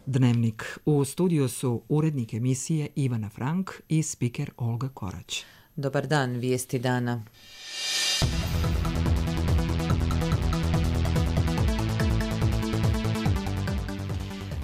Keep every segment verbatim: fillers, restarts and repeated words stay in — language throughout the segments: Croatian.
Dnevnik. U studiju su urednik emisije Ivana Frank i spiker Olga Korać. Dobar dan, vijesti dana.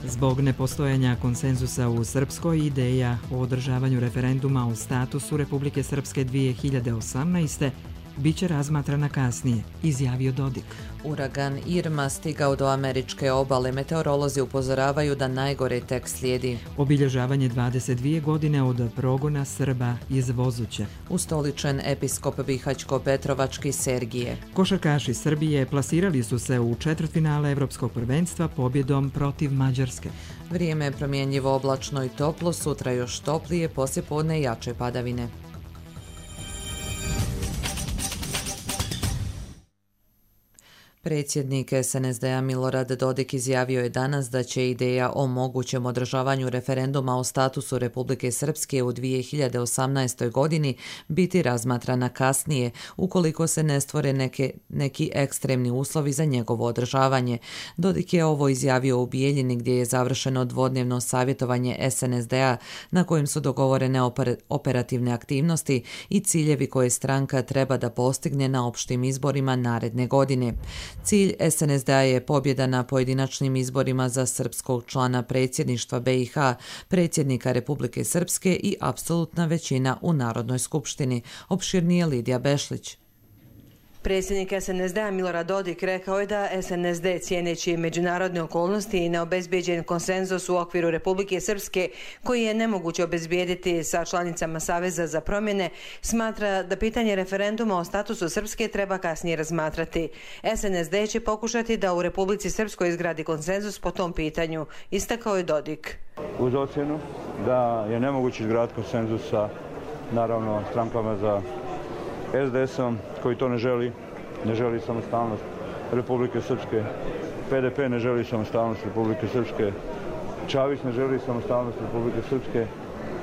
Zbog nepostojanja konsenzusa u Srpskoj, ideja o održavanju referenduma o statusu Republike Srpske dvije hiljade osamnaeste. biće razmatrana kasnije, izjavio Dodik. Uragan Irma stigao do američke obale. Meteorolozi upozoravaju da najgore tek slijedi. Obilježavanje dvadeset dvije godine od progona Srba iz Vozuće. Ustoličen episkop Bihaćko-Petrovački Sergije. Košarkaši Srbije plasirali su se u četvrtfinale Evropskog prvenstva pobjedom protiv Mađarske. Vrijeme je promjenjivo, oblačno i toplo, sutra još toplije, poslijepodne jače padavine. Predsjednik es en es de a Milorad Dodik izjavio je danas da će ideja o mogućem održavanju referenduma o statusu Republike Srpske u dvije hiljade osamnaestoj. godini biti razmatrana kasnije, ukoliko se ne stvore neke, neki ekstremni uslovi za njegovo održavanje. Dodik je ovo izjavio u Bijeljini, gdje je završeno dvodnevno savjetovanje es en es de a na kojem su dogovorene oper, operativne aktivnosti i ciljevi koje stranka treba da postigne na opštim izborima naredne godine. Cilj es en es de a je pobjeda na pojedinačnim izborima za srpskog člana predsjedništva be i ha, predsjednika Republike Srpske i apsolutna većina u Narodnoj skupštini. Opširnije Lidija Bešlić. Predsjednik es en es de a Milorad Dodik rekao je da es en es de, cijeneći međunarodne okolnosti i neobezbijeđen konsenzus u okviru Republike Srpske, koji je nemoguće obezbijediti sa članicama Saveza za promjene, smatra da pitanje referenduma o statusu Srpske treba kasnije razmatrati. es en es de će pokušati da u Republici Srpskoj izgradi konsenzus po tom pitanju, istakao je Dodik. Uz ocjenu da je nemoguće izgraditi konsenzus sa, naravno, strankama za es de esom, koji to ne želi, ne želi samostalnost Republike Srpske, pe de pe ne želi samostalnost Republike Srpske, Čavić ne želi samostalnost Republike Srpske,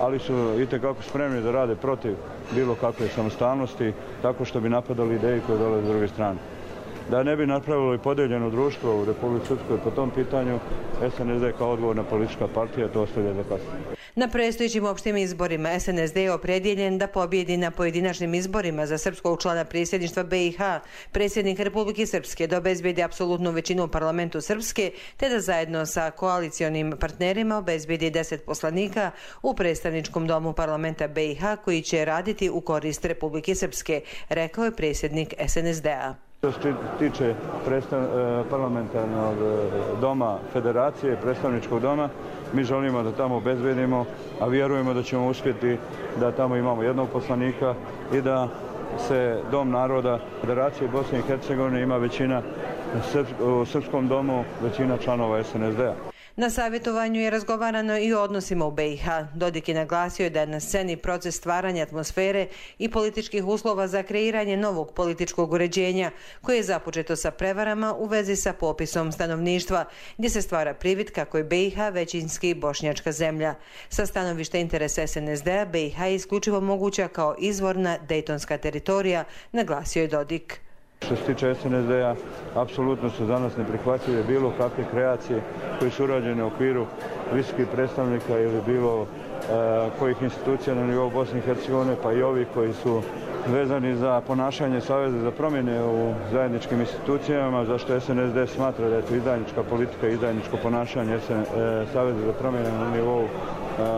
ali su itekako spremni da rade protiv bilo kakve samostalnosti, tako što bi napadali ideje koje dolaze s druge strane. Da ne bi napravilo i podeljeno društvo u Republike Srpskoj po tom pitanju, es en es de kao odgovorna politička partija to ostavlja za kasnije. Na predstojećim opštim izborima es en es de je opredjeljen da pobjedi na pojedinačnim izborima za srpskog člana predsjedništva be i ha, predsjednik Republike Srpske, da obezbijedi apsolutnu većinu u parlamentu Srpske, te da zajedno sa koalicionim partnerima obezbijedi deset poslanika u predstavničkom domu parlamenta be i ha, koji će raditi u korist Republike Srpske, rekao je predsjednik es en es de a. Što se tiče parlamentarnog doma federacije, predstavničkog doma, mi želimo da tamo obezbedimo, a vjerujemo da ćemo uspjeti da tamo imamo jednog poslanika i da se Dom naroda Federacije Bosne i Hercegovine ima većina u Srpskom domu, većina članova es en es de a. Na savjetovanju je razgovarano i o odnosima u be i ha. Dodik je naglasio da je na sceni proces stvaranja atmosfere i političkih uslova za kreiranje novog političkog uređenja, koje je započeto sa prevarama u vezi sa popisom stanovništva, gdje se stvara privid kako je be i ha većinski bošnjačka zemlja. Sa stanovišta interesa es en es de a, be i ha je isključivo moguća kao izvorna dejtonska teritorija, naglasio je Dodik. Što se tiče es en es de a, apsolutno su za nas neprihvatljive bilo kakve kreacije koje su urađene u okviru visokih predstavnika ili bilo e, kojih institucija na nivou Bosne i Hercegovine, pa i ovi koji su vezani za ponašanje Saveza za promjene u zajedničkim institucijama, zašto es en es de smatra da je to izdajnička politika i izdajničko ponašanje e, Saveza za promjene na nivou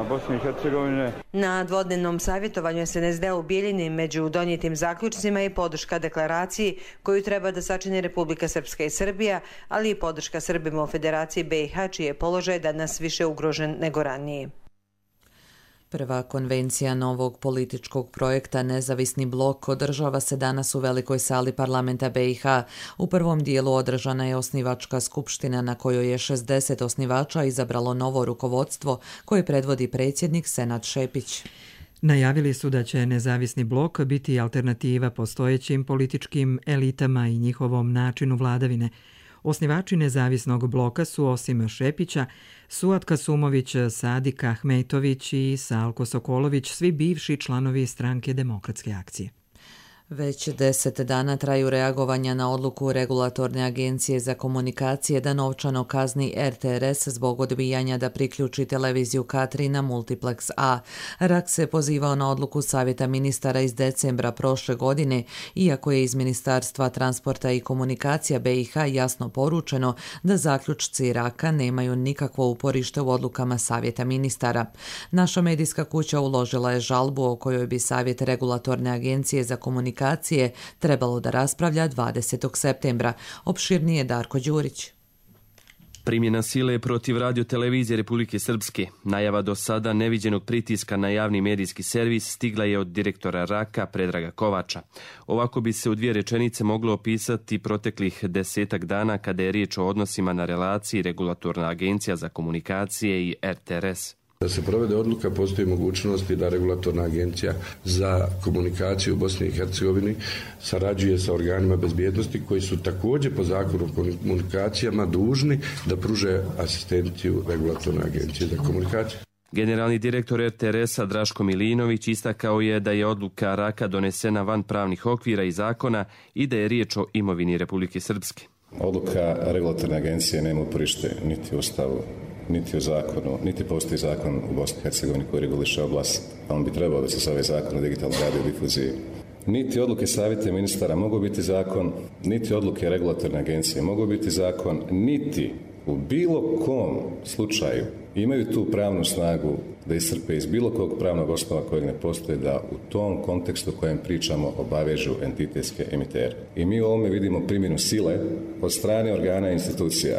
Bosne i Hercegovine. Na dvodnevnom savjetovanju es en es de u Bijeljini među donijetim zaključcima i podrška deklaraciji koju treba da sačini Republika Srpska i Srbija, ali i podrška Srbima u Federaciji be i ha, čiji je položaj danas više ugrožen nego ranije. Prva konvencija novog političkog projekta Nezavisni blok održava se danas u Velikoj sali parlamenta be i ha. U prvom dijelu održana je osnivačka skupština na kojoj je šezdeset osnivača izabralo novo rukovodstvo koje predvodi predsjednik Senad Šepić. Najavili su da će Nezavisni blok biti alternativa postojećim političkim elitama i njihovom načinu vladavine. Osnivači Nezavisnog bloka su osim Šepića, Suad Kasumović, Sadik Ahmetović i Salko Sokolović, svi bivši članovi stranke Demokratske akcije. Već deset dana traju reagovanja na odluku Regulatorne agencije za komunikacije da novčano kazni R T R S zbog odbijanja da priključi televiziju K tri na Multiplex A. R A K se pozivao na odluku Savjeta ministara iz decembra prošle godine, iako je iz Ministarstva transporta i komunikacija B i H jasno poručeno da zaključci R A K-a nemaju nikakvo uporište u odlukama Savjeta ministara. Naša medijska kuća uložila je žalbu o kojoj bi Savjet Regulatorne agencije za komunikacije trebalo da raspravlja dvadesetog septembra. Opširnije Darko Đurić. Primjena sile protiv radiotelevizije Republike Srpske. Najava do sada neviđenog pritiska na javni medijski servis stigla je od direktora R A K-a Predraga Kovača. Ovako bi se u dvije rečenice moglo opisati proteklih desetak dana kada je riječ o odnosima na relaciji Regulatorna agencija za komunikacije i R T R S. Da se provede odluka, postoji mogućnosti da Regulatorna agencija za komunikaciju u Bosni i Hercegovini sarađuje sa organima bezbjednosti koji su također po zakonu o komunikacijama dužni da pruže asistenciju Regulatorne agencije za komunikaciju. Generalni direktor R T R S-a Draško Milinović istakao je da je odluka R A K-a donesena van pravnih okvira i zakona i da je riječ o imovini Republike Srpske. Odluka Regulatorne agencije nema uporište niti u Ustavu, niti u zakonu, niti postoji zakon u Bosni i Hercegovini koji reguliše oblast, a on bi trebao da se zove zakon o digitalnoj radiodifuziji. Niti odluke Savjeta ministara mogu biti zakon, niti odluke Regulatorne agencije mogu biti zakon, niti u bilo kom slučaju imaju tu pravnu snagu da iscrpe iz bilo kog pravnog osnova kojeg ne postoje da u tom kontekstu kojem pričamo obavežu entitetske emitere. I mi u ovome vidimo primjenu sile od strane organa i institucija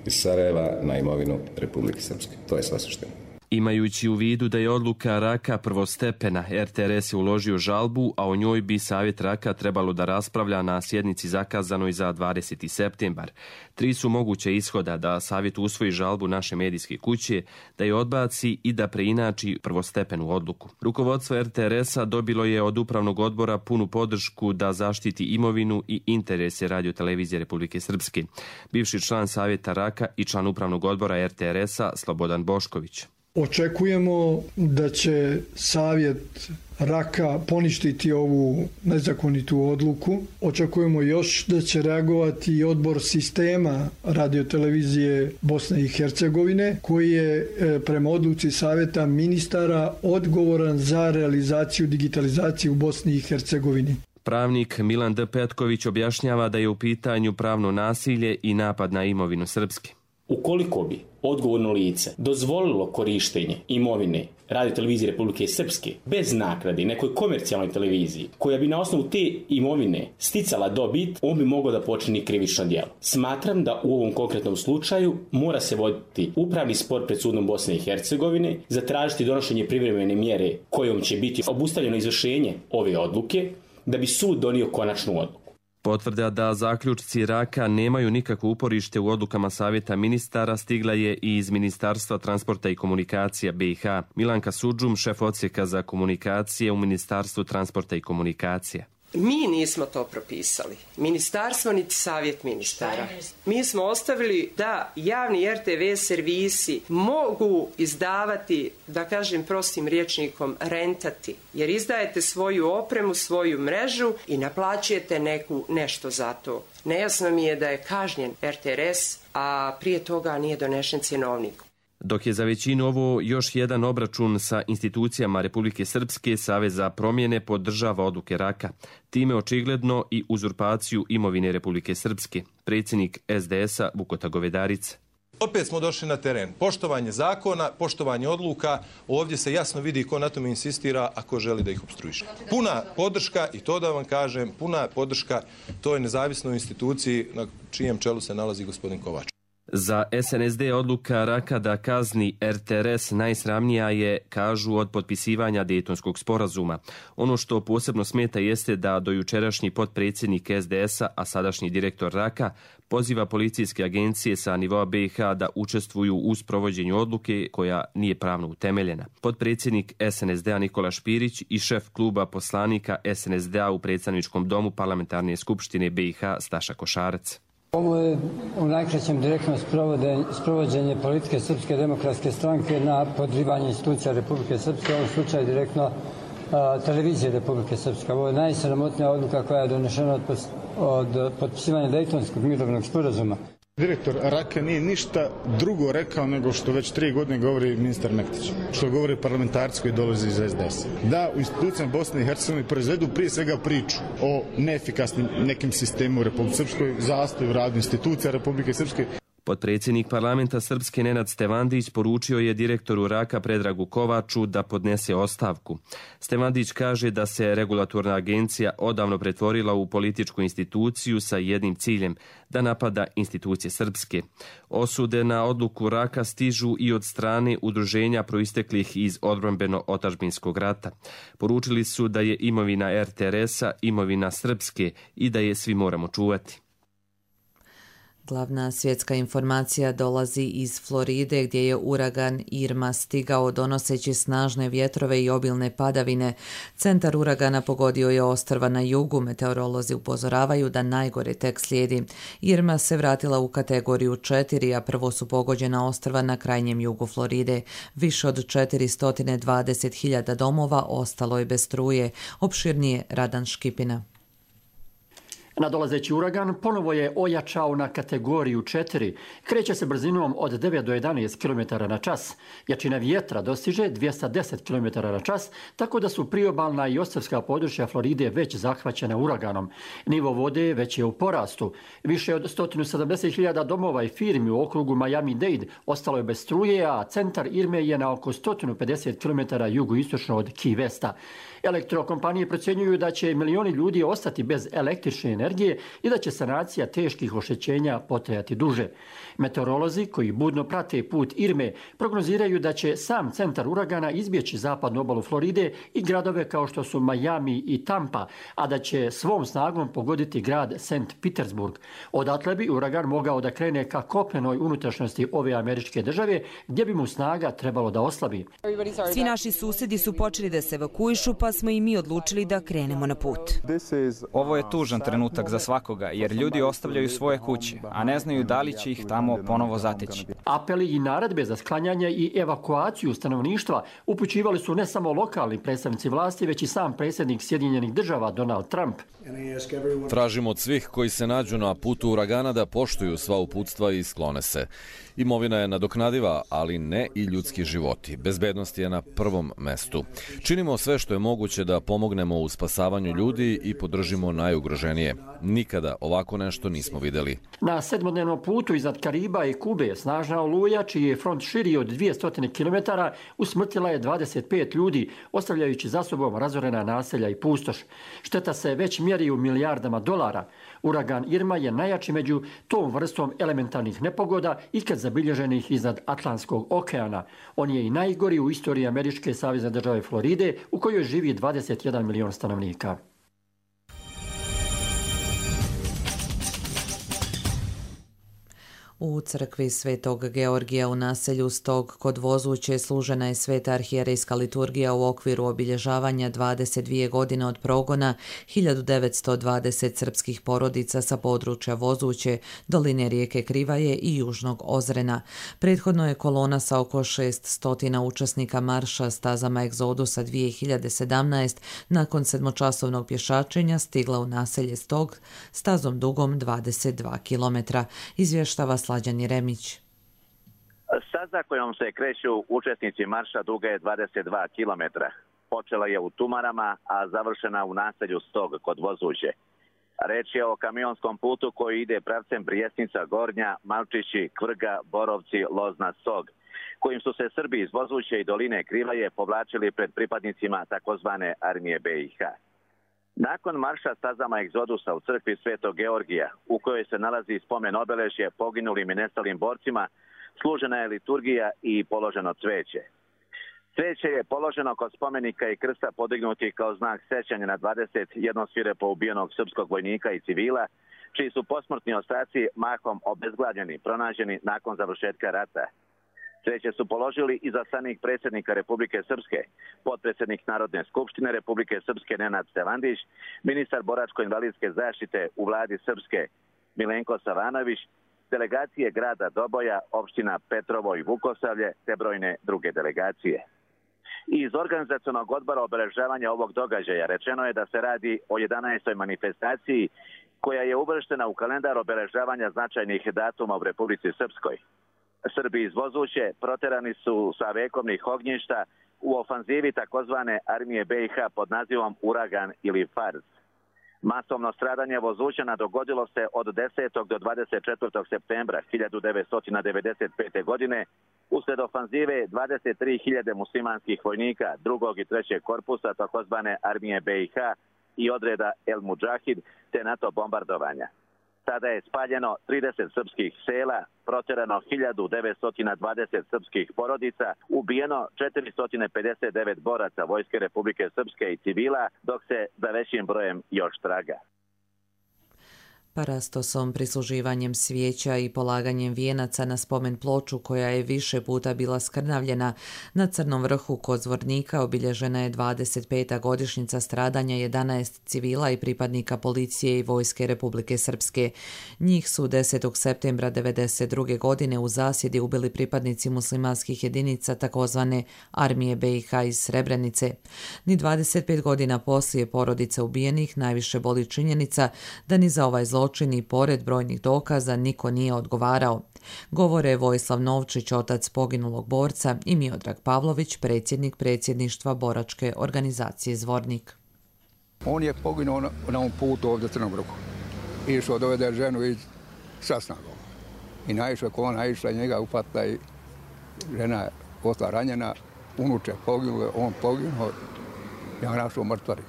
iz Sarajeva na imovinu Republike Srpske. To je sva suština. Imajući u vidu da je odluka R A K-a prvostepena, R T R S je uložio žalbu, a o njoj bi Savjet R A K-a trebalo da raspravlja na sjednici zakazanoj za dvadeseti septembar. Tri su moguće ishoda: da Savjet usvoji žalbu naše medijske kuće, da je odbaci i da preinači prvostepenu odluku. Rukovodstvo R T R S-a dobilo je od Upravnog odbora punu podršku da zaštiti imovinu i interese radiotelevizije Republike Srpske. Bivši član Savjeta R A K-a i član Upravnog odbora R T R S-a Slobodan Bošković. Očekujemo da će Savjet R A K-a poništiti ovu nezakonitu odluku. Očekujemo još da će reagovati i odbor sistema radiotelevizije Bosne i Hercegovine, koji je prema odluci Savjeta ministara odgovoran za realizaciju digitalizacije u Bosni i Hercegovini. Pravnik Milan D. Petković objašnjava da je u pitanju pravno nasilje i napad na imovinu Srpske. Ukoliko bi odgovorno lice dozvolilo korištenje imovine radiotelevizije Republike Srpske bez naknade nekoj komercijalnoj televiziji koja bi na osnovu te imovine sticala dobit, on bi mogao da počini krivično djelo. Smatram da u ovom konkretnom slučaju mora se voditi upravni spor pred sudom Bosne i Hercegovine, zatražiti donošenje privremene mjere kojom će biti obustavljeno izvršenje ove odluke da bi sud donio konačnu odluku. Potvrda da zaključci R A K-a nemaju nikakvo uporište u odlukama Savjeta ministara stigla je i iz Ministarstva transporta i komunikacija B i H. Milanka Sudžum, šef odsjeka za komunikacije u Ministarstvu transporta i komunikacija. Mi nismo to propisali. Ministarstvo niti Savjet ministara. Mi smo ostavili da javni R T V servisi mogu izdavati, da kažem prostim rječnikom, rentati. Jer izdajete svoju opremu, svoju mrežu i naplaćujete neku, nešto za to. Nejasno mi je da je kažnjen R T R S, a prije toga nije donešen cjenovnik. Dok je za većinu ovo još jedan obračun sa institucijama Republike Srpske, Savez za promjene podržava odluke R A K-a. Time očigledno i uzurpaciju imovine Republike Srpske. Predsjednik S D S-a Vukota Govedarica. Opet smo došli na teren. Poštovanje zakona, poštovanje odluka. Ovdje se jasno vidi ko na tome insistira, a ko želi da ih opstruiše. Puna podrška, i to da vam kažem, puna podrška toj nezavisnoj instituciji na čijem čelu se nalazi gospodin Kovač. Za S N S D odluka R A K-a da kazni R T R S najsramnija je, kažu, od potpisivanja Dejtonskog sporazuma. Ono što posebno smeta jeste da dojučerašnji potpredsjednik S D S-a, a sadašnji direktor R A K-a, poziva policijske agencije sa nivoa B i H da učestvuju u sprovođenju odluke koja nije pravno utemeljena. Potpredsjednik S N S D-a Nikola Špirić i šef kluba poslanika S N S D-a u predstavničkom domu Parlamentarne skupštine B i H Staša Košarac. Ovo je u najkraćem direktno sprovođenje politike Srpske demokratske stranke na podrivanje institucija Republike Srpske, u ovom slučaju direktno a, televizije Republike Srpske. Ovo je najsramotnija odluka koja je donešena od, pos, od potpisivanja Dejtonskog mirovnog sporazuma. Direktor Raka nije ništa drugo rekao nego što već tri godine govori ministar Mektić, što govori parlamentarci koji dolaze iz es de es. Da u institucijama Bosne i Hercegovine proizvedu prije svega priču o neefikasnim nekim sistemu u Republike Srpskoj, zastoju radu institucija Republike Srpske. Potpredsjednik parlamenta Srpske Nenad Stevandić poručio je direktoru Raka Predragu Kovaču da podnese ostavku. Stevandić kaže da se regulatorna agencija odavno pretvorila u političku instituciju sa jednim ciljem, da napada institucije Srpske. Osude na odluku Raka stižu i od strane udruženja proisteklih iz odbrambeno-otadžbinskog rata. Poručili su da je imovina er te er es-a imovina Srpske i da je svi moramo čuvati. Glavna svjetska informacija dolazi iz Floride gdje je uragan Irma stigao donoseći snažne vjetrove i obilne padavine. Centar uragana pogodio je ostrva na jugu. Meteorolozi upozoravaju da najgore tek slijedi. Irma se vratila u kategoriju četiri, a prvo su pogođena ostrva na krajnjem jugu Floride. Više od četiristo dvadeset hiljada domova ostalo je bez struje. Opširnije Radan Škipina. Nadolazeći uragan ponovo je ojačao na kategoriju četiri. Kreće se brzinom od devet do jedanaest kilometara na čas. Jačina vjetra dostiže dvjesto deset kilometara na čas, tako da su priobalna i ostrvska područja Floride već zahvaćena uraganom. Nivo vode već je u porastu. Više od sto sedamdeset hiljada domova i firmi u okrugu Miami-Dade ostalo je bez struje, a centar Irme je na oko sto pedeset kilometara jugoistočno od Key Westa. Elektrokompanije procjenjuju da će milioni ljudi ostati bez električne energije i da će sanacija teških oštećenja potrajati duže. Meteorolozi koji budno prate put Irme prognoziraju da će sam centar uragana izbjeći zapadnu obalu Floride i gradove kao što su Miami i Tampa, a da će svom snagom pogoditi grad Sankt Petersburg. Odatle bi uragan mogao da krene ka kopnenoj unutrašnjosti ove američke države, gdje bi mu snaga trebalo da oslabi. Svi naši susjedi su počeli da se evakuišu, pa smo i mi odlučili da krenemo na put. Ovo je tužan trenutak za svakoga, jer ljudi ostavljaju svoje kuće, a ne znaju da li će ih tamo ponovo zateći. Apeli i naredbe za sklanjanje i evakuaciju stanovništva upućivali su ne samo lokalni predstavnici vlasti, već i sam predsjednik Sjedinjenih država Donald Trump. Tražimo od svih koji se nađu na putu uragana da poštuju sva uputstva i sklone se. Imovina je nadoknadiva, ali ne i ljudski životi. Bezbednost je na prvom mestu. Činimo sve što je moguće da pomognemo u spasavanju ljudi i podržimo najugroženije. Nikada ovako nešto nismo vidjeli. Na sedmodnevnom putu iznad Kariba i Kube snažna oluja, čiji je front širi od dvjesto kilometara, usmrtila je dvadeset pet ljudi, ostavljajući za sobom razorena naselja i pustoš. Šteta se već mjeri u milijardama dolara. Uragan Irma je najjači među tom vrstom elementarnih nepogoda ikad zabilježenih iznad Atlantskog okeana. On je i najgori u istoriji američke savezne države Floride, u kojoj živi dvadeset jedan milion stanovnika. U crkvi Svetog Georgija u naselju Stog kod Vozuće služena je sveta arhijerejska liturgija u okviru obilježavanja dvadeset dvije godine od progona hiljadu devetsto dvadeset srpskih porodica sa područja Vozuće, doline rijeke Krivaje i Južnog Ozrena. Prethodno je kolona sa oko šesnaest učesnika marša stazama Egzodusa dvije hiljade sedamnaeste nakon sedmočasovnog pješačenja stigla u naselje Stog stazom dugom dvadeset dva kilometra, izvještava Slađan Jeremić. Staza kojom se kreću učesnici marša duga je dvadeset dva kilometra. Počela je u Tumarama, a završena u naselju Stog kod Vozuće. Reč je o kamionskom putu koji ide pravcem Brijesnica Gornja, Malčići, Kvrga, Borovci, Lozna, Stog, kojim su se Srbi iz Vozuće i doline Krivaje povlačili pred pripadnicima takozvane armije be i ha. Nakon marša stazama Egzodusa u crkvi Svetog Georgija, u kojoj se nalazi spomen obeležje poginulim i nestalim borcima, služena je liturgija i položeno cveće. Cveće je položeno kod spomenika i krsta podignuti kao znak sećanja na dvadeset jedan svirepo ubijenog srpskog vojnika i civila, čiji su posmrtni ostaci mahom obezglavljeni, pronađeni nakon završetka rata. Cveće su položili i zaslanik predsjednika Republike Srpske, potpredsjednik Narodne skupštine Republike Srpske Nenad Stevandić, ministar boračko-invalidske zaštite u vladi Srpske Milenko Savanović, delegacije grada Doboja, opština Petrovo i Vukosavlje te brojne druge delegacije. Iz organizacionog odbora obeležavanja ovog događaja rečeno je da se radi o jedanaestoj manifestaciji koja je uvrštena u kalendar obeležavanja značajnih datuma u Republici Srpskoj. Srbi iz Vozuće proterani su sa vekovnih ognjišta u ofanzivi takozvane armije B i H pod nazivom Uragan ili Fars. Masovno stradanje Vozućana dogodilo se od desetog do dvadeset četvrtog septembra hiljadu devetsto devedeset pete. godine uslijed ofanzive dvadeset tri hiljade muslimanskih vojnika drugog i trećeg korpusa takozvane armije B i H i odreda El Mudžahid te NATO bombardovanja. Tada je spaljeno trideset srpskih sela, proterano hiljadu devetsto dvadeset srpskih porodica, ubijeno četiristo pedeset devet boraca Vojske Republike Srpske i civila, dok se za većim brojem još traga. Parastosom, prisluživanjem svijeća i polaganjem vijenaca na spomen ploču koja je više puta bila skrnavljena, na Crnom vrhu kod Zvornika obilježena je dvadeset peta godišnjica stradanja jedanaest civila i pripadnika policije i Vojske Republike Srpske. Njih su desetog septembra devedeset druge. godine u zasjedi ubili pripadnici muslimanskih jedinica takozvane armije B i H iz Srebrenice. Ni dvadeset pet godina poslije porodice ubijenih najviše boli činjenica da ni za ovaj zločin i pored brojnih dokaza niko nije odgovarao. Govore Vojislav Novčić, otac poginulog borca, i Miodrag Pavlović, predsjednik predsjedništva boračke organizacije Zvornik. On je poginuo na, na ovom putu ovdje Crnom vrhu. Išao dovede ženu iz Sasnagova. I naišao ko ona išla njega upatila i žena je ostala ranjena, unuče poginuo, on poginuo, ja našao mrtvari.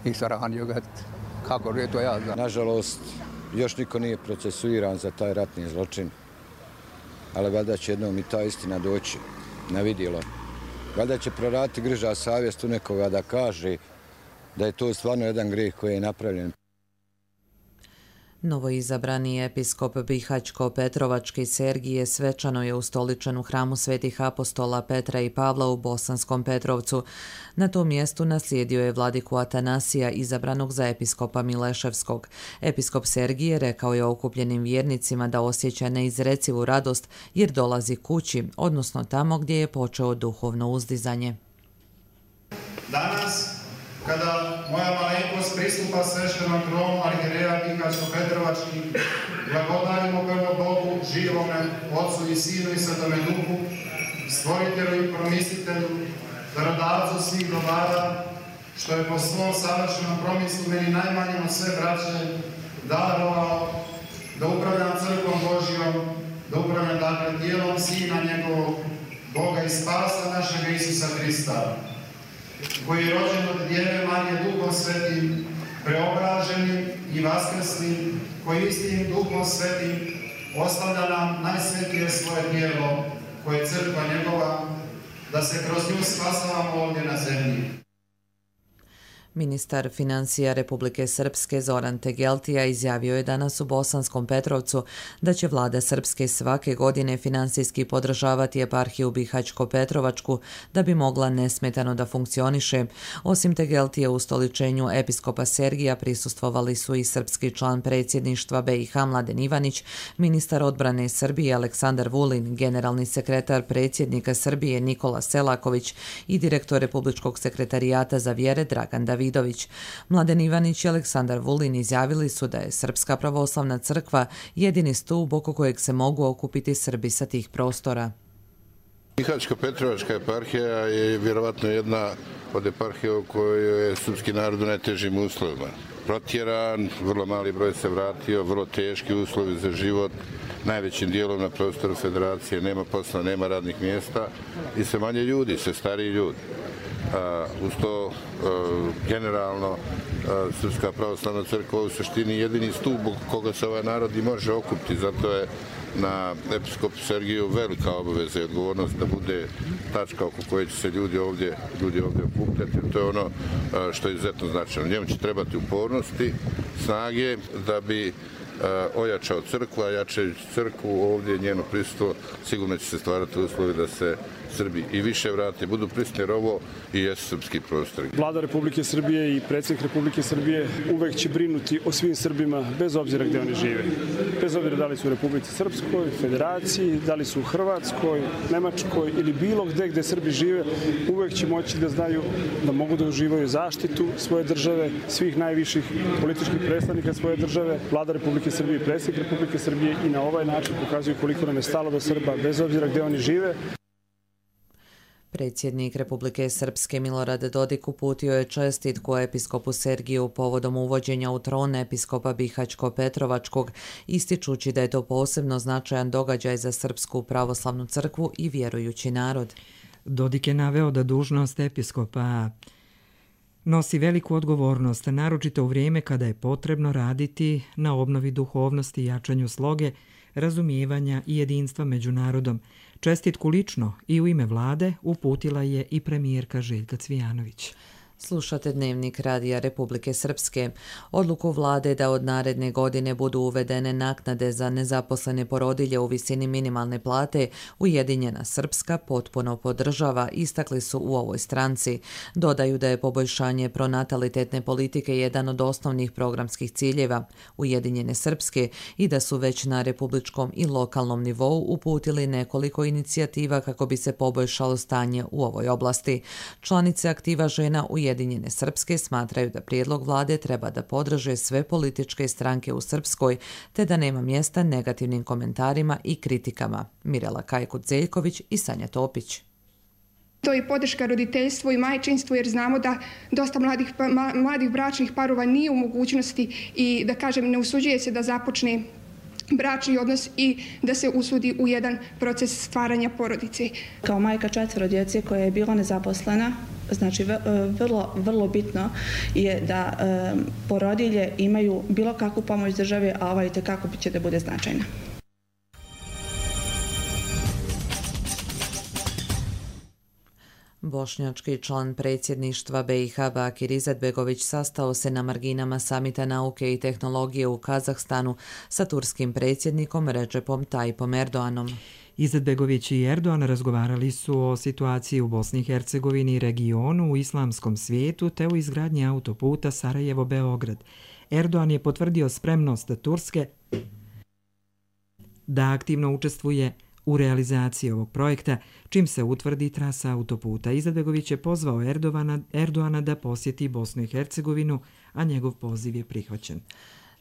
I saranio ga. Kako je to ja znam? Nažalost, još niko nije procesuiran za taj ratni zločin, ali valjda će jednom i ta istina doći na vidjelo. Valjda će proraditi griža savjest u nekoga da kaže da je to stvarno jedan grijeh koji je napravljen. Novoizabrani episkop Bihaćko-Petrovački Sergije svečano je ustoličen u hramu svetih apostola Petra i Pavla u Bosanskom Petrovcu. Na tom mjestu naslijedio je vladiku Atanasija, izabranog za episkopa Mileševskog. Episkop Sergije rekao je okupljenim vjernicima da osjeća neizrecivu radost jer dolazi kući, odnosno tamo gdje je počeo duhovno uzdizanje. Danas, kada moja malenkost pristupa sveštenom tronu arhijereja Bihaćko-Petrovački, blagodarimo prvo Bogu, živome, Otcu i Sinu i Svetome Duhu, Stvoritelju i Promislitelju, darodavcu svih dobara, što je po svom savršenom promislu meni najmanjem od sve braće darovao da upravljam crkvom Božijom, da upravljam dakle tijelom Sina njegovog, Boga i spasa našega Isusa Hrista, koji je rođen od Djeve Marije Duhom Svetim, preobraženim i vaskrslim, koji istim Duhom Svetim ostavlja nam najsvetije svoje tijelo, koje je crkva njegova, da se kroz nju spasavamo ovdje na zemlji. Ministar financija Republike Srpske Zoran Tegeltija izjavio je danas u Bosanskom Petrovcu da će vlada Srpske svake godine finansijski podržavati eparhiju Bihaćko-Petrovačku da bi mogla nesmetano da funkcioniše. Osim Tegeltije, u ustoličenju episkopa Sergija prisustvovali su i srpski član predsjedništva B i H Mladen Ivanić, ministar odbrane Srbije Aleksandar Vulin, generalni sekretar predsjednika Srbije Nikola Selaković i direktor Republičkog sekretarijata za vjere Dragan Davidović. Mladen Ivanić i Aleksandar Vulin izjavili su da je Srpska pravoslavna crkva jedini stup oko kojeg se mogu okupiti Srbi sa tih prostora. Bihaćko-Petrovačka eparhija je vjerovatno jedna od eparhija u kojoj je srpski narod u najtežim uslovima. Protjeran, vrlo mali broj se vratio, vrlo teški uslovi za život, najvećim dijelom na prostoru federacije nema posla, nema radnih mjesta i sve manje ljudi, sve stariji ljudi. Uh, uz to uh, generalno uh, Srpska pravoslavna crkva u suštini jedini stup koga se ovaj narod i može okupiti, zato je na episkopu Sergiju velika obaveza i odgovornost da bude tačka oko koje će se ljudi ovdje, ljudi ovdje okupljati. To je ono uh, što je izuzetno značajno. Njemu će trebati upornosti, snage da bi ojačao crkvu, a jačajući crkvu ovdje njeno prisustvo, sigurno će se stvarati uslovi da se Srbi i više vrate, budu prisutni, jer ovo i jesu srpski prostori. Vlada Republike Srbije i predsjednik Republike Srbije uvek će brinuti o svim Srbima, bez obzira gdje oni žive. Bez obzira da li su u Republici Srpskoj, Federaciji, da li su u Hrvatskoj, Nemačkoj ili bilo gdje gdje Srbi žive, uvek će moći da znaju da mogu da uživaju zaštitu svoje države, svih najviših političkih predstavnika svoje države. Vlada Republike Srbije i predsjednik Republike Srbije i na ovaj način pokazuju koliko nam je stalo do Srba, bez obzira gdje oni žive. Predsjednik Republike Srpske Milorad Dodik uputio je čestitku episkopu Sergiju povodom uvođenja u tron episkopa Bihaćko-Petrovačkog, ističući da je to posebno značajan događaj za Srpsku pravoslavnu crkvu i vjerujući narod. Dodik je naveo da dužnost episkopa nosi veliku odgovornost, naročito u vrijeme kada je potrebno raditi na obnovi duhovnosti i jačanju sloge, razumijevanja i jedinstva među narodom. Čestitku lično i u ime vlade uputila je i premijerka Željka Cvijanović. Slušate Dnevnik Radija Republike Srpske. Odluku vlade da od naredne godine budu uvedene naknade za nezaposlene porodilje u visini minimalne plate Ujedinjena Srpska potpuno podržava, istakli su u ovoj stranci. Dodaju da je poboljšanje pronatalitetne politike jedan od osnovnih programskih ciljeva Ujedinjene Srpske i da su već na republičkom i lokalnom nivou uputili nekoliko inicijativa kako bi se poboljšalo stanje u ovoj oblasti. Članice aktiva žena Ujedinjene Ujedinjene Srpske smatraju da prijedlog vlade treba da podrže sve političke stranke u Srpskoj, te da nema mjesta negativnim komentarima i kritikama. Mirela Kajkut-Zeljković i Sanja Topić. To je podrška roditeljstvu i majčinstvu, jer znamo da dosta mladih, mladih bračnih parova nije u mogućnosti i, da kažem, ne usuđuje se da započne bračni odnos i da se usudi u jedan proces stvaranja porodice. Kao majka četvero djece koja je bila nezaposlena, znači vrlo, vrlo bitno je da um, porodilje imaju bilo kakvu pomoć države, a ova itekako će da bude značajna. Bošnjački član predsjedništva B i H Bakir Izetbegović sastao se na marginama samita nauke i tehnologije u Kazahstanu sa turskim predsjednikom Recepom Tayyipom Erdoganom. Izetbegović i Erdogan razgovarali su o situaciji u Bosni i Hercegovini i regionu, u islamskom svijetu te u izgradnji autoputa Sarajevo-Beograd. Erdogan je potvrdio spremnost Turske da aktivno učestvuje u realizaciji ovog projekta, čim se utvrdi trasa autoputa. Izetbegović je pozvao Erdogana, Erdogana da posjeti Bosnu i Hercegovinu, a njegov poziv je prihvaćen.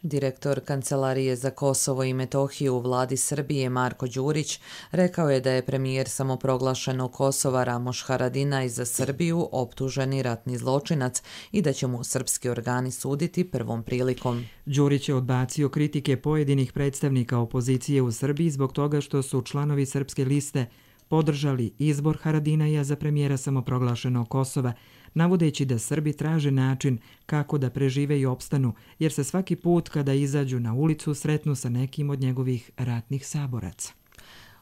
Direktor Kancelarije za Kosovo i Metohiju u vladi Srbije Marko Đurić rekao je da je premijer samoproglašenog Kosova Ramoš Haradinaj za Srbiju optuženi ratni zločinac i da će mu srpski organi suditi prvom prilikom. Đurić je odbacio kritike pojedinih predstavnika opozicije u Srbiji zbog toga što su članovi Srpske liste podržali izbor Haradinaja za premijera samoproglašenog Kosova, navodeći da Srbi traže način kako da prežive i opstanu, jer se svaki put kada izađu na ulicu sretnu sa nekim od njegovih ratnih saboraca.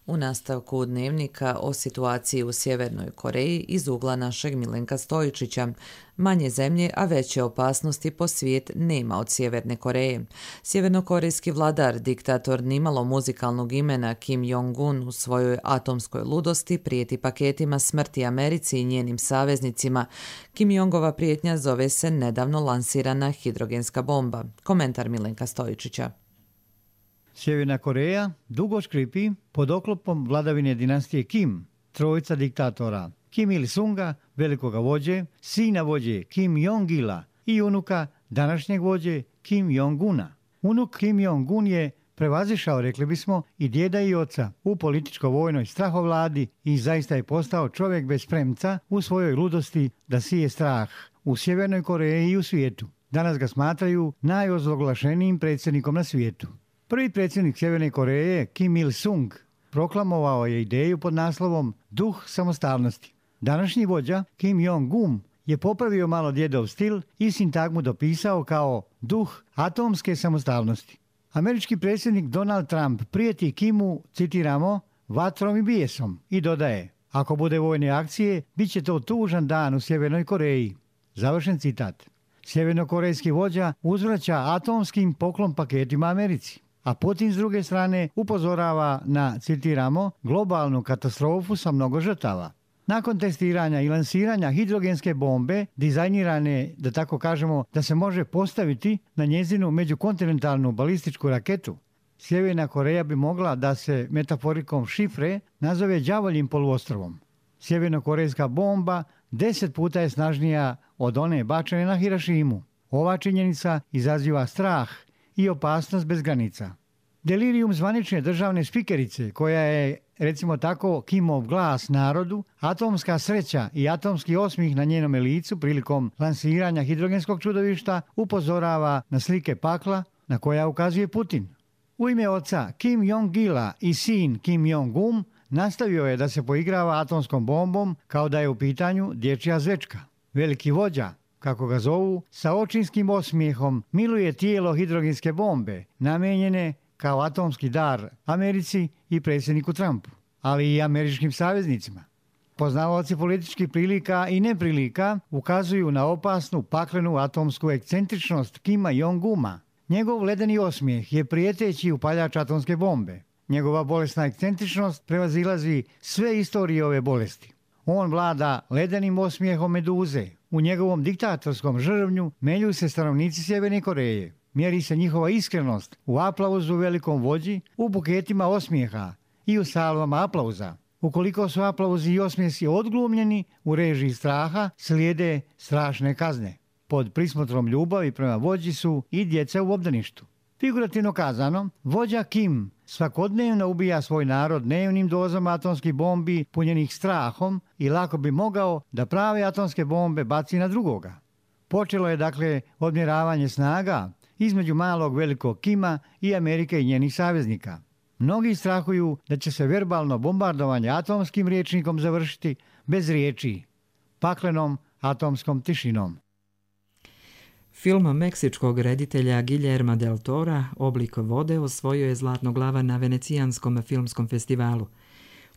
U nastavku Dnevnika o situaciji u Sjevernoj Koreji iz ugla našeg Milenka Stojičića. Manje zemlje, a veće opasnosti po svijet nema od Sjeverne Koreje. Sjevernokorejski vladar, diktator nimalo muzikalnog imena Kim Jong-un u svojoj atomskoj ludosti prijeti paketima smrti Americi i njenim saveznicima. Kim Jongova prijetnja zove se nedavno lansirana hidrogenska bomba. Komentar Milenka Stojičića. Sjeverna Koreja dugo škripi pod oklopom vladavine dinastije Kim, trojica diktatora Kim Il-sunga, velikoga vođe, sina vođe Kim Jong-ila i unuka današnjeg vođe Kim Jong-una. Unuk Kim Jong-un je prevazišao, rekli bismo, i djeda i oca u političko-vojnoj strahovladi i zaista je postao čovjek bez premca u svojoj ludosti da sije strah u Sjevernoj Koreji i u svijetu. Danas ga smatraju najozloglašenijim predsjednikom na svijetu. Prvi predsjednik Sjeverne Koreje, Kim Il-sung, proklamovao je ideju pod naslovom Duh samostalnosti. Današnji vođa, Kim Jong-un, je popravio malo djedov stil i sintagmu dopisao kao duh atomske samostalnosti. Američki predsjednik Donald Trump prijeti Kimu, citiramo, vatrom i bijesom i dodaje, ako bude vojne akcije, bit će to tužan dan u Sjevernoj Koreji. Završen citat. Sjevernokorejski vođa uzvraća atomskim poklon paketima Americi. a Putin s druge strane upozorava na, citiramo, globalnu katastrofu sa mnogo žrtava. Nakon testiranja i lansiranja hidrogenske bombe, dizajnirane, da tako kažemo, da se može postaviti na njezinu međukontinentalnu balističku raketu, Sjeverna Koreja bi mogla da se metaforikom šifre nazove đavoljim poluostrovom. Sjevernokorejska bomba deset puta je snažnija od one bačene na Hirošimu. Ova činjenica izaziva strah i opasnost bez granica. Delirium zvanične državne spikerice, koja je, recimo tako, Kimov glas narodu, atomska sreća i atomski osmih na njenome licu prilikom lansiranja hidrogenskog čudovišta, upozorava na slike pakla na koja ukazuje Putin. U ime oca Kim Jong-ila i sin Kim Jong-un nastavio je da se poigrava atomskom bombom kao da je u pitanju dječja zvečka. Veliki vođa, kako ga zovu, sa očinskim osmijehom miluje tijelo hidrogenske bombe, namijenjene kao atomski dar Americi i predsjedniku Trumpu, ali i američkim saveznicima. Poznavaoci političkih prilika i neprilika ukazuju na opasnu paklenu atomsku ekscentričnost Kima Jong-uma. Njegov ledeni osmijeh je prijeteći upaljač atomske bombe. Njegova bolesna ekscentričnost prevazilazi sve istorije ove bolesti. On vlada ledenim osmijehom meduze. U njegovom diktatorskom žrvnju melju se stanovnici Sjeverne Koreje. Mjeri se njihova iskrenost u aplauzu velikom vođi, u buketima osmijeha i u salvama aplauza. Ukoliko su aplauzi i osmijesi odglumljeni, u režiji straha slijede strašne kazne. Pod prismotrom ljubavi prema vođi su i djeca u obdaništu. Figurativno kazano, vođa Kim svakodnevno ubija svoj narod dnevnim dozama atomskih bombi punjenih strahom i lako bi mogao da prave atomske bombe baci na drugoga. Počelo je dakle odmjeravanje snaga između malog velikog Kima i Amerike i njenih saveznika. Mnogi strahuju da će se verbalno bombardovanje atomskim rječnikom završiti bez riječi, paklenom atomskom tišinom. Film meksičkog reditelja Guillerma del Tora Oblik vode osvojio je Zlatno glava na Venecijanskom filmskom festivalu.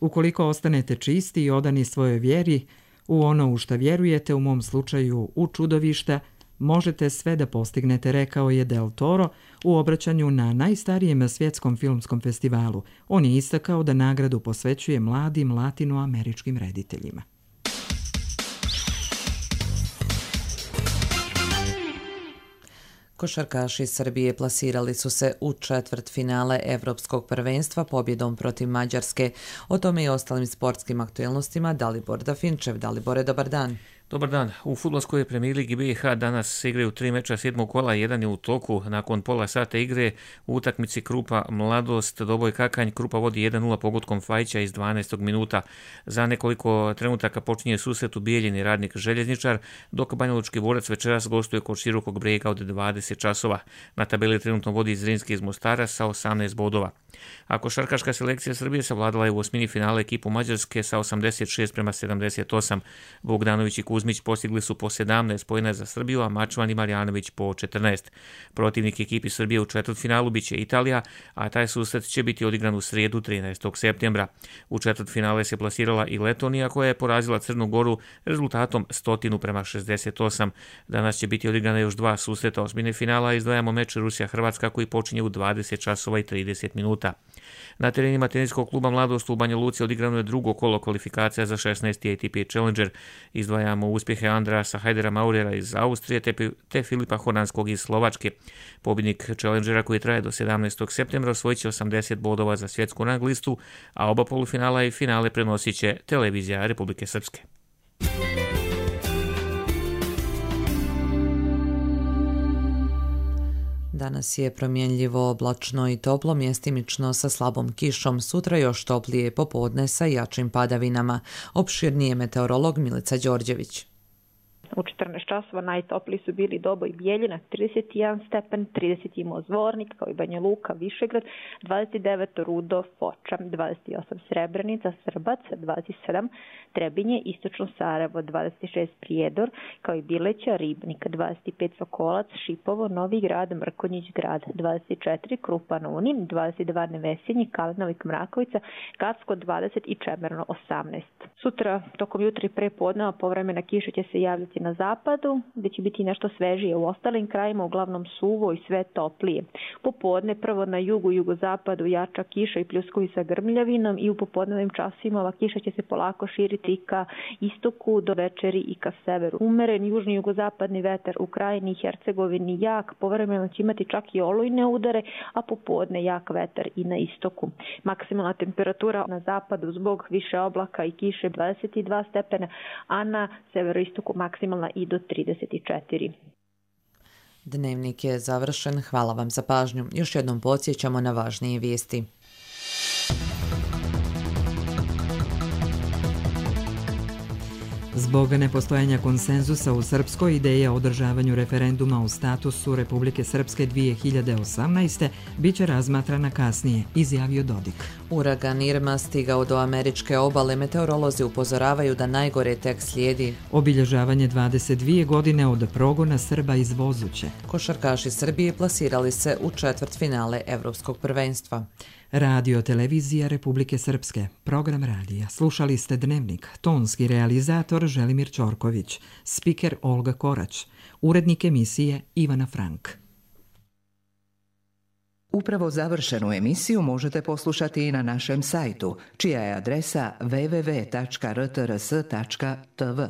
Ukoliko ostanete čisti i odani svojoj vjeri, u ono u šta vjerujete, u mom slučaju u čudovišta, možete sve da postignete, rekao je Del Toro u obraćanju na najstarijem svjetskom filmskom festivalu. On je istakao da nagradu posvećuje mladim latinoameričkim rediteljima. Košarkaši Srbije plasirali su se u četvrtfinale Evropskog prvenstva pobjedom protiv Mađarske. O tome i ostalim sportskim aktuelnostima Dalibor Dafinčev. Dalibore, dobar dan. Dobar dan. U fudbalskoj premijer ligi B i H danas se igraju tri meča sedmog kola, jedan je u toku. Nakon pola sata igre u utakmici Krupa Mladost Doboj Kakanj, Krupa vodi jedan nula pogodkom Fajića iz dvanaestog minuta. Za nekoliko trenutaka počinje susret u Bijeljini Radnik Željezničar, dok Banjalučki Borac večeras gostuje kod Širokog Brega od dvadeset časova. Na tabeli trenutno vodi Zrinski iz Mostara sa osamnaest bodova. A košarkaška selekcija Srbije savladala je u osmini finale ekipu Mađarske sa osamdeset šest prema sedamdeset osam. Bogdanović i Kuzmić postigli su po sedamnaest poena za Srbiju, a Mačvan i Marjanović po četrnaest. Protivnik ekipi Srbije u četvrtfinalu biće Italija, a taj susret će biti odigran u srijedu trinaestog septembra. U četvrtfinale se plasirala i Letonija, koja je porazila Crnu Goru rezultatom sto prema šezdeset osam. Danas će biti odigrana još dva susreta osmine finala, izdvajamo meč Rusija-Hrvatska koji počinje u dvadeset časova i trideset minuta. Na terenima teniskog kluba Mladost u Banja Luci odigrano je drugo kolo kvalifikacija za šesnaesti A T P Challenger. Izdvajamo uspjehe Andrasa Hajdera Maurera iz Austrije te, te Filipa Hornanskog iz Slovačke. Pobjednik Challengera koji traje do sedamnaestog septembra osvojit će osamdeset bodova za svjetsku rang listu, a oba polufinala i finale prenosit će televizija Republike Srpske. Danas je promjenljivo, oblačno i toplo, mjestimično sa slabom kišom. Sutra još toplije popodne sa jačim padavinama. Opširnije meteorolog Milica Đorđević. U četrnaest časova najtopliji su bili Doboj Bijeljina, trideset jedan stepen, trideset imao Zvornik, kao i Banja Luka, Višegrad, dvadeset devet Rudo, Foča, dvadeset osam Srebrenica, Srbac, dvadeset sedam Trebinje, Istočno Sarajevo, dvadeset šest Prijedor, kao i Bileća, Ribnik, dvadeset pet Sokolac, Šipovo, Novi Grad, Mrkonjić Grad, dvadeset četiri Krupa na Uni, dvadeset dva Nevesinji, Kalinovik, Mrakovica, Gacko dvadeset i Čemerno osamnaest. Sutra, tokom jutra i prepodneva, povremena kiša će se javljati na na zapadu, gde će biti nešto svežije. U ostalim krajima uglavnom suvo i sve toplije. Popodne prvo na jugu i jugozapadu jača kiša i pljuskovi sa grmljavinom i u popodnevnim časima ova kiša će se polako širiti ka istoku do večeri i ka severu. Umeren južni jugozapadni vetar u Krajini i Hercegovini jak, povremeno će imati čak i olujne udare, a popodne jak vetar i na istoku. Maksimalna temperatura na zapadu zbog više oblaka i kiše dvadeset dva stepena, a na severoistoku maksimalna i do trideset četiri. Dnevnik je završen. Hvala vam za pažnju. Još jednom podsjećamo na važnije vijesti. Zbog nepostojanja konsenzusa u Srpskoj, ideja o održavanju referenduma o statusu Republike Srpske dvije hiljade osamnaeste biće razmatrana kasnije, izjavio Dodik. Uragan Irma stigao do američke obale, meteorolozi upozoravaju da najgore tek slijedi. Obilježavanje dvadeset dvije godine od progona Srba iz Vozuće. Košarkaši Srbije plasirali se u četvrtfinale Evropskog prvenstva. Radio televizija Republike Srpske, program radija. Slušali ste Dnevnik, tonski realizator Želimir Ćorković, spiker Olga Korać, urednik emisije Ivana Frank. Upravo završenu emisiju možete poslušati i na našem sajtu, čija je adresa w w w tačka r t r s tačka t v.